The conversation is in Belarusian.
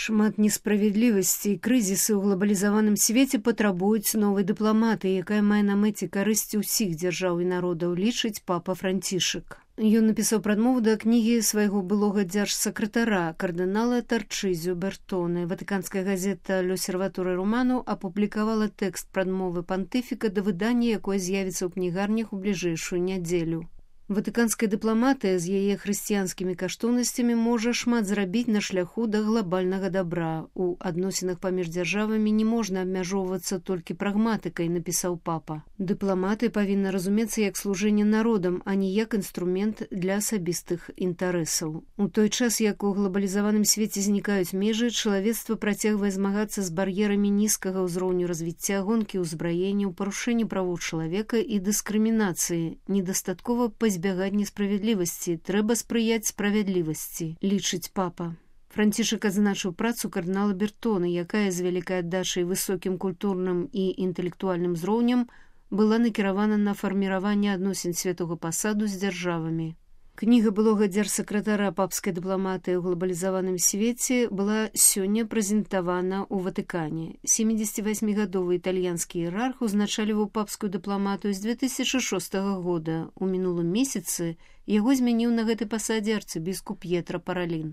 Шмат несправядлівасці і крызісы ў глобалізаваным свеце патрабуюць новай дыпламатыі, якая мае на мэце карысць усіх дзяржаў і народаў, лічыць папа Францішак. Ён напісаў прадмову да кнігі свайго былога дзяржсакратара, кардынала Тарчызю Бертоне. Ватыканская газета «L'Osservatore Romano» апублікавала тэкст прадмовы пантыфіка да выдання, якое з'явіцца ў кнігарнях у бліжэйшую нядзелю. Ватыканская дыпламатыя з яе хрысціянскімі каштоўнасцямі можа шмат зрабіць на шляху да глобальнага дабра. У адносінах паміж дзяржавамі не можна абмяжоўвацца толькі прагматыкай, напісаў папа. Дыпламаты павінна разумецца як служэнне народам, а не як інструмент для асабістых інтарэсаў. У той час, як у глобалізаваным свеце знікаюць межы, чалавецтва працягвае змагацца з бар'ерамі нізкага ўзроўню развіцця, гонкі ўзбраенняў, парушэння правоў чалавека і дыскрымінацыі. Недастаткова збягаць несправядлівасці, трэба спрыяць справядлівасці, лічыць папа. Францішак адзначыў працу кардынала Бертона, якая з вялікай аддачай высокім культурным і інтэлектуальным узроўнем была накіравана на фарміраванне адносін святога пасаду з дзяржавамі. Кніга былога дзяржсакратара папскай дыпламатыі ў глобалізаваным свеце была сёння прэзентавана ў Ватыкане. 78-гадовы італьянскі іерарх узначаліваў папскую дыпламатыю з 2006 года. У мінулым месяцы яго змяніў на гэтай пасадзе арцыбіскуп П'етра Паралін.